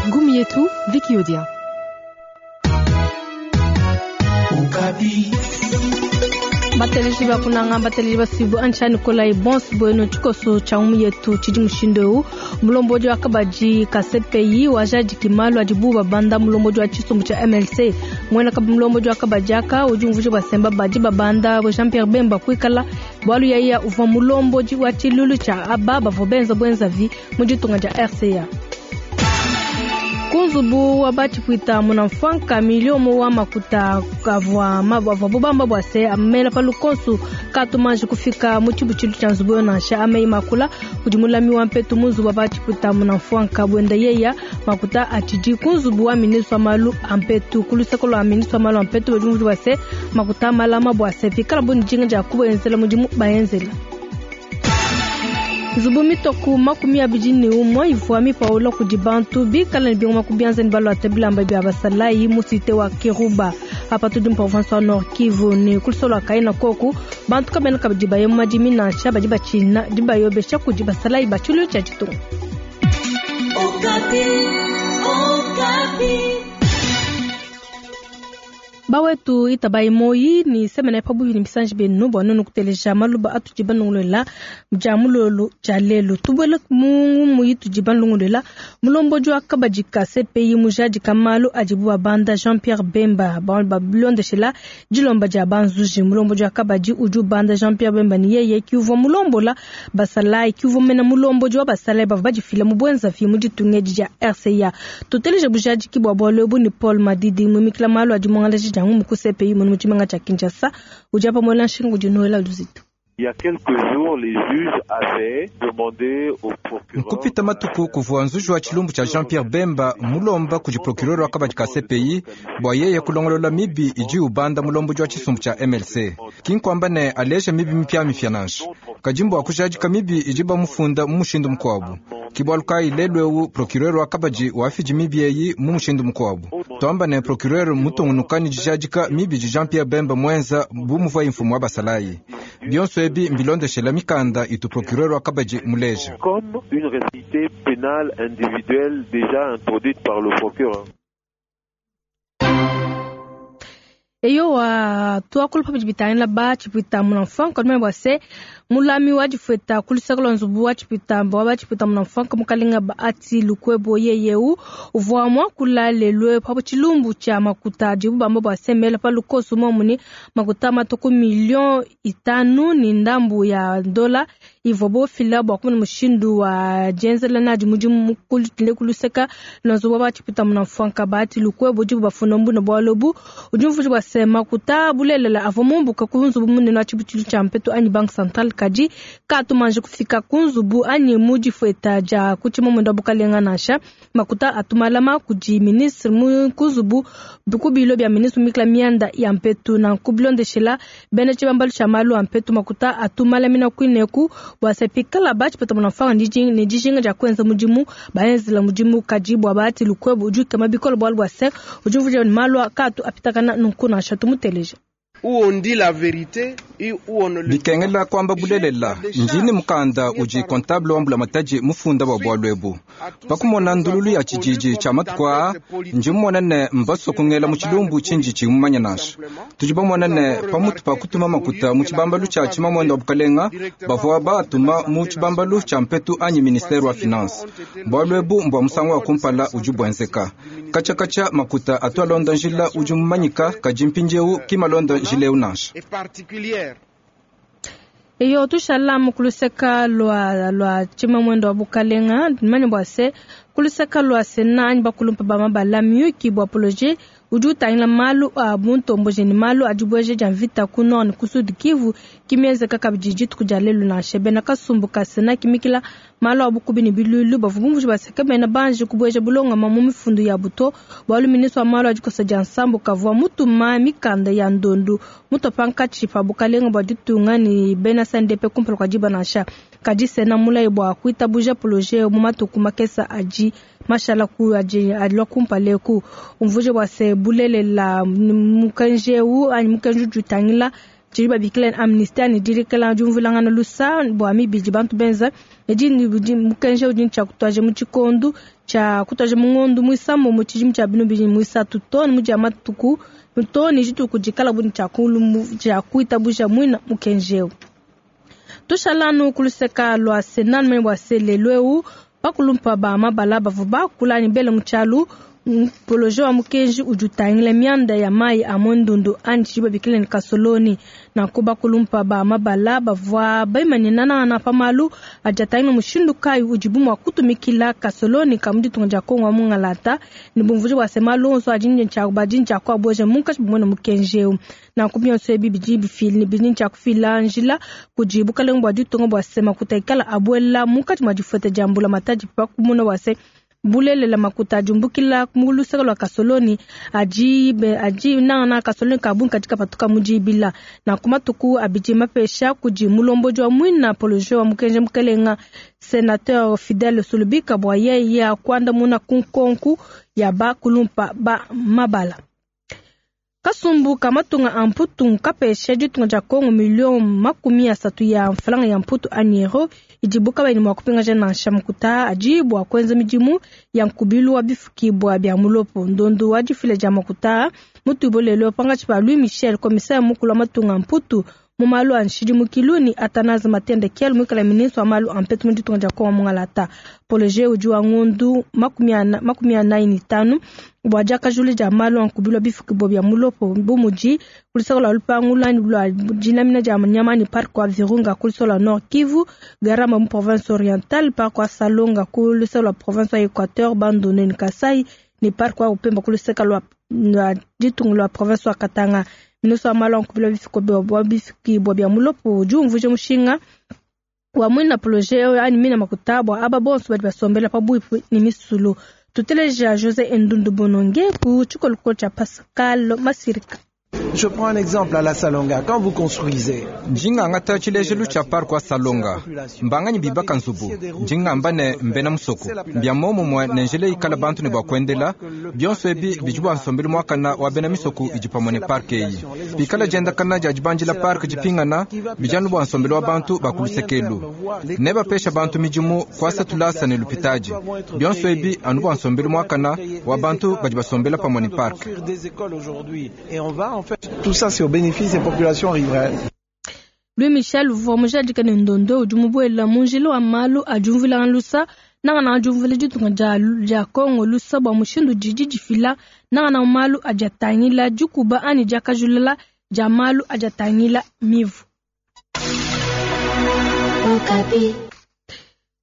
Ngumu yetu Vicky Odia. Bateleji ba kunanga, bateleji basuibue antsha Nikolai bonso buenu. Tshikoso tshia ngumu yetu tshidi mushindu eu: mulombodi wa kabadi ka CPI wajadiki malu adibu babanda mulombodi wa tshisumbu tshia MLC. Muena mulombodi wa kabadi aka udi umvuija bua semba badi babanda Jean Pierre Bemba kuikala bualu yaya uvua mulombodi wa tshilulu tshia aba bavua benza buenzavi mu ditunga dia RCA. Ku nzubu wa batshipwita munamfwanka, miliomo wa makuta kavua avuabu bamba bua se amela pa lukonsu katumanji kufika mu tshibutshilu tshia nzubu yo nansha. Ameyi makula kudi mulami wa mpetu mu nzubu wa batshipwita munamfwanka, buenda yeya makuta atshidi ku nzubu wa ministre wa malu a mpetu. Ku luseke lua ministre wa malu a mpetu badi bumvua se makuta malama bua se pikala bo ne dijinga dia kubenzela mudimu baenzela. Nzubu mitoku 21 ivua mipaula kudi bantu bikala ne bingoma ku bianza ne baluata bilamba bia basalayi mu cité wa Kiruba apa tudi mu province wa Nord Kivu. Ne ku lusolo lua Kayina koku bantu kabena kabidi baye mu madimi nansha, badi batshina dibayobesha kudi basalayi ba tshiluilu tshia ditunga. Bawetu itabayi moyi ni semena pabuipi ne bisanji bienu bua nuenu kuteleja maluba atudi banongolola dia mulolo dia lelu. Tubuele mu ngumu itudi banongolola. Mulombodi wa kabadi ka CPI mujadika malu adibu babanda Jean Pierre Bemba babilondeshela dilomba dia banzuji. Mulombodi wa kabadi udi ubanda Jean Pierre Bemba ni yeye kiuvua mulombola basalayi, kiuvua mena mulombodi wa basalayi bavua badifila mu buenzavi mu ditunga edi dia RCA. Tuteleje bujadiki bua bualu ebu ni Paul Madidi, mumikila malu adi muangalaji dia ngumu ku CPI mu tshimenga tshia Kinshasa, udi apa muela nshinga kudi Noela Luzitu. Il y a quelques jours, les juges avaient demandé au procureur. Nkupita matuku kuvua nzuji wa tshilumbu tshia Jean Pierre Bemba mulomba kudi procureur wa kabadi ka CPI bua yeye kulongolola mibi idi ubanda mulombodi wa tshisumbu tshia MLC. Kinkwamba ne aleja mibi mipiamipia nansha, kadi mbua kujadika mibi idi bamufunda mu mushindu mukuabu. Kibualu kayi lelu eu procureur wa kabadi wafidi mibi eyi mu mushindu mukuabu. Tuamba ne procureur mutungunuka ne dijadika mibi di Jean Pierre Bemba muenza bu muvuaye mfumu wa basalayi. Bionso ebi mbilondeshela mikanda itu procureur wa kabadi muleja. Comme une responsabilité pénale individuelle déjà introduite par le procureur. Eyowa, tuakula pabidi bitangila ba tshipwita munamfwanka lumene bua se mulami wa difueta ku luseke lua nzubu wa tshipwita wa ba tshipwita munamfwanka mukalenga Bahati Lukwebo yeyeu uvua muakula lelu pa tshilumbu tshia makuta adibu bamba bua se mela pa lukoso momuni makuta matuku 5 million ne ndambu ya dola ivua bofila bua kumona mushindu wa dienzela nadi mudimu ku luseke lua nzubu wa ba tshipwita munamfwanka. Bahati Lukwebo dibu bafunda mbuna bualu ebu udi umvuija bua se makuta bulelela avua mumbuka ku nzubu munene wa tshibutshilu tshia mpetu anyi banque centrale, kadi katumanje kufika ku nzubu anyi mu difueta dia ku tshimamunda bukalenga nansha. Makuta atumalama kudi ministre mu ku nzubu ku bilo bia ministre mikla mianda ya mpetu. Nanku bilondeshela bena tshibambalu tshia malu a mpetu, makuta atumalamina kuineku bua se pikala batshipeta munamfanga ne dijinga dia kuenza mudimu baenzela mudimu. Kadi bua Bahati Lukwebo udi ukema bikole bualu bua se udi umvuija ne malu katu apitakana nunku nansha. Tumuteleje. Où on dit la vérité et où on ne le Bikengela kwamba bulelela, ndini mukanda udi comptable wa mbulamatadi mufunda bua bualu ebu. Pakumona ndululu ya tshididi tshia matuku aa, ndi mumona ne mbaso kungela mu tshilumbu tshindi tshimumanya nansha. Tudi bamona ne pamutu pa kutuma makuta mu tshibambalu tshia tshimamwenda wa bukalenga, bavua batuma mu tshibambalu tshia mpetu anyi ministère wa finance. Bualu ebu mbua musangu wa kumpala udi buenzeka. Katsha makuta atu alonda njila udi mumanyika, kadi mpindieu kimalonda njila eu nansha. Est particulière. Eyo, tushala kuluseka lua tshimamwendo wa bukalenga. Manya bua se kuluseka lua sena anyi bakulumpa ba mabala, miyuki bua projet udi utangila malu a buntomboji ne malu a dibueja dia mvita ku nord ne ku sud Kivu kimienzeka kabidi dituku dia lelu nansha. Bena kasumbu ka sena kimikila malu a bukubi ne bilulu bavua bumvuija baseka bena banji kubueja bulongama mu mifundu ya buto, bualu ministre wa malu a dikosa dia nsambu kavua mutuma mikanda ya ndondu mutua pankatshi pa bukalenga bua ditunga ne bena CNDP kumpala kua diba nansha. Kadi sena mulayi bua kuitabuja projet mu matuku makesa adi mashala ku adi alua kumpala eku. Umvuije bua se bulelela mukenji eu anyi mukenji udi utangila Tshidi babikila amnistie ne dilekela diumvuilangana lusa bua mibi idi bantu benza. Edi mukenji udi tshia kutuaja mu tshikondu tshia kutuaja mu ngondu muisambombo mu tshidimu tshia binu bidi muisatu to ne mu matuku to ne dituku dikala bu tshia kuitabuja muina mukenji eu. Tushalanu kuluseka lua Sénat mene bua se lelu eu bakulumpa ba mabala bavua bakula ne bele mu tshialu projet wa mukenji udi utangila mianda ya mayi a mondundu anyi tshidi babikila ne kasoloni. Nanku bakulumpa ba mabala bavua baimanyina nangana pa malu adi atangila mushindu kayi udibu mua kutumikila kasoloni ka mu ditunga dia Kongo wa mungalata ne bumvuija bua se malu onso adi badi ntshia kuabueja munkatshi bumue ne mukenji eu. Nanku bionso ebi bidi bifila bidi ntshia kufila njila kudi bukalenge bua ditunga bua se makuta ikala abuela munkatshi mua difueta dia mbula matadi pa kumona bua se bulelela makuta adiumbukila mu luseke lua kasoloni adi adi nangana kasoloni ka bungi kadi kapatuka mu dibila. Nanku matuku abidi mapesha kudi mulombodi wa muina projet wa mukenji mukelenga sénateur Fidèle Sulubika bua yeye kuandamuna ku nkonku ya bakulumpa ba mabala. Kasumbu ka matunga a mputu kapesha ditunga dia Kongo milio 30 ya mfalanga ya mputu anyi euro idibu kabayi mua kupingaja nansha makuta adi bua kuenza midimu ya nkubilu wa bifukibwa bia mulopo. Ndondo wa difila dia makuta mutubo lelo pangatshi pa Louis Michel commissaire mukulu wa matunga a mputu mu malu a nshidimukilu ni Athanase Matende Kiel muikala ministre wa malu a mpetu mu ditunga dia Kongo mungalata. Projet udi wa ngondu 45 bua diakajula dia malu a nkubilu wa bifukibwa bia mulopo bu mudi kulusaka lua lupangu lua dinamina dia nyama ni parc wa Virunga kulusaka lua Nord Kivu, Garamba mu province orientale, parc wa Salonga kulusaka lua province wa Equateur, Bandundu ni Kasai ni parc wa Upemba kulusaka lua ditunga lua province wa Katanga. Ministre wa malu a nkubilu wa bifukibwa bia mulopo udi umvuija mushinga wa mwina projet anyi mina makuta bua aba bonso badi basombela pabuipi ni misulu. Tuteleja José Ndundu Bononge ku tshikolokolo tshia Pascal Masirika. Je prends un exemple à la Salonga. Quand vous construisez, njinganga tshilejelu tshia parc wa Salonga mbanganyi bibaka nzubu njingamba ne mbena musoko mbia momumue ne njila ikala bantu ne bua kuendela bionso ebi bidi bua nsombelu muakana wa bena misoko idi pamue ne parc eyi pikala diendakana dia dibanjila parc dipingana bijanu bua nsombelu wa bantu bakulusekelu ne bapesha bantu midimu kuasa tulasa ne lupitaji bionso ebi anu bua nsombelu muakana wa bantu badi basombela pamue ne parc. Tout ça, c'est au bénéfice des populations riveraines. Louis Michel uvua mujadika ne ndondo udi mubuela mu njila wa malu adiumvuila lusa nangana adiumvuila ditunga dia Kongo lusa bua mushindu didi difila nangana malu adi atangila dikuba anyi diakajulula dia malu adi atangila mivu.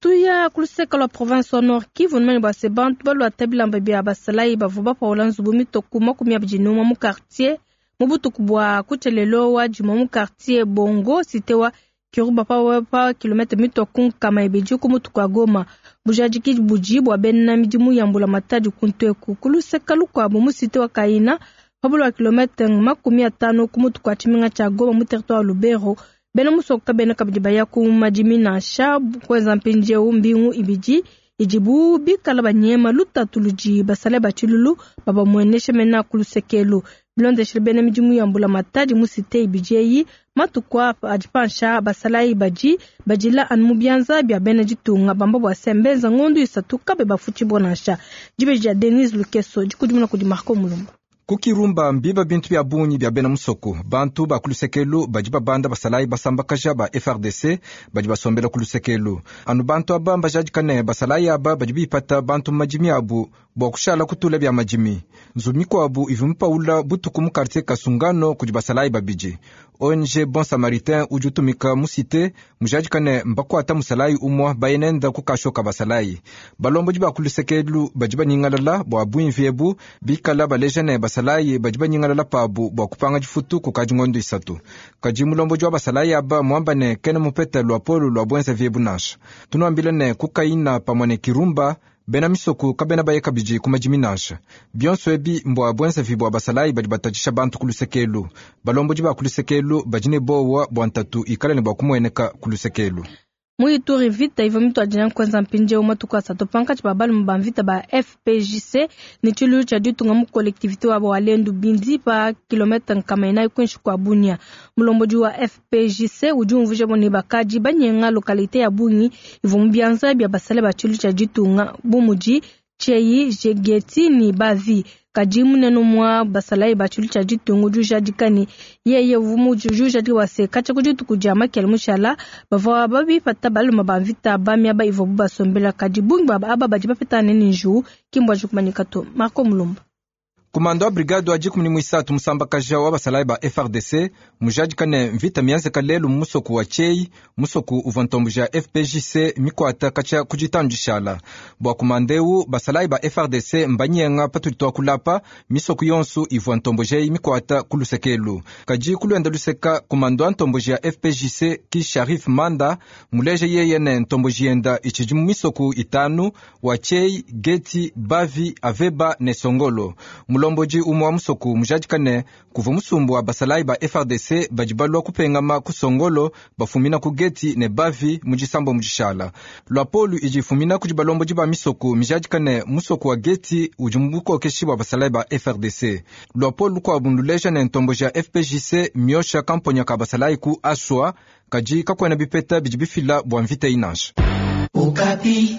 Tuya kuluseka lua province wa Nord Kivu numene bua se bantu baluata bilamba bia basalayi bavua bapaula nzubu mitoku 21 mu quartier mu butuku bua kutshelelo wa juma mu quartier Bongo cité wa Kiruba pa kilomètre mitoku 200 ku mutuku wa Goma. Bujadiki budi bua bena midimu ya mbula matadi kunteku kuluseka lukuabu mu cité wa Kaina pabulu wa kilomètre 50 ku mutuku wa tshimenga tshia Goma mu territoire Lubero. Bena musoko kabena kabidi baya ku madimi nansha kwenza mpindieu mbingu ibidi idibu bikala banyema lutatu ludi basale batshilulu babamuenesha mena kulusekelu. Bilondeshile bena midimu ya mbula matadi mu cité ibidi eyi matuku apa adi pansha basalayi badi badila anu mu bianza bia bena ditunga bamba bua se mbenza ngondu 3 kabe bafutshibua nansha. Dibeji dia Denise Lukeso dikudimuna kudi Marco Mulumba. Kukirumba mbiba bintu bia bungi bia bena musoko bantu ba kulusekelu badi babanda basalayi basambakaja ba FRDC badi basombela kulusekelu anu bantu aba mbajadika ne basalayi aba badi bipata bantu mu madimi abu bua kushala kutula bia madimi. Nzubu mikuabu ivu mipaula butuku mu quartier Kasungano kudi basalayi babidi. ONG Bon Samaritain udi utumika mu cité mujadika ne mbakuata musalayi umua bayenenda kukashoka basalayi. Balombodi ba kulusekelu badi banyingalala bua buimvi ebu bikala baleja ne basalayi badi banyingalala pabu bua kupanga difutu kukadi ngondo 3. Kadi mulombodi wa basalayi aba muamba ne kena mupeta lua polo lua bwenza viebu nansha. Tunuambile ne kukaina pamue ne Kirumba bena misoko kabena baye kabidi ku madimi nansha. Bionso ebi mbua bwenza vibua basalayi badi batatshisha bantu kulusekelu. Balombodi ba kulusekelu badi ne bowa bua ntatu ikala ne bua kumueneka kulusekelu. Mu Ituri, mvita ivua mituadija kuenza mpindieu matuku asatu pankatshi pa balume ba mvita ba FPJC ne tshiluilu tshia ditunga mu collectivite wa Walendu Bindi pa kilomètre 400 kuinshi kua Bunia. Mulombodi wa FPJC udi umvuija ne bakadi banyenga localité ya bungi ivua mu bianza bia basale ba tshiluilu tshia ditunga bu mudi Tshei, Jegeti ne Bavi. Kadi munene mwa basalayi ba tshiluilu tshia ditunga udi ujadika ne yeye uvua ujadika bua se katshia ku dituku dia makele mushala bavua babipata balume ba mvita ba miaba ivuabu basombela, kadi bungi bua aba badi bapetangane ne njiwu ki mbuanji kumanyika to. Marco Mulumba. Kumando wa brigade wa 13 musambakaja wa basalayi ba FARDC mujadika ne mvita mienzeka lelu mu musoku wa Tshei, musoku uvua ntomboji ya FPJC mikwata katshia ku ditanu dishala. Bua kumanda eu basalayi ba FARDC mbanyenga patudi tuakulapa misoku yonso ivua ntomboji eyi mikwata ku luseke elu. Kadi ku luenda luseka kumando wa ntomboji ya FPJC ki Sharif Manda muleja yeye ne ntomboji yenda itshidi mu misoku itanu wa Tshei, Geti, Bavi, Aveba ne Songolo. Mulombodi umue wa musoku mujadika ne kuvua musumbu wa basalayi ba FARDC badi balua kupengama ku Songolo bafumina ku Geti ne Bavi mu disambo mu dishala. Luapolu idi ifumina kudi balombodi ba misoko mijadika ne musoku wa Geti udi mu bukokeshi bua basalayi ba FARDC. Luapolu lukuabu nduleja ne ntomboji ya FPJC miosha kamponya ka basalayi ku Aswa, kadi kakuena bipeta bidi bifila bua mvita inansha. Okapi.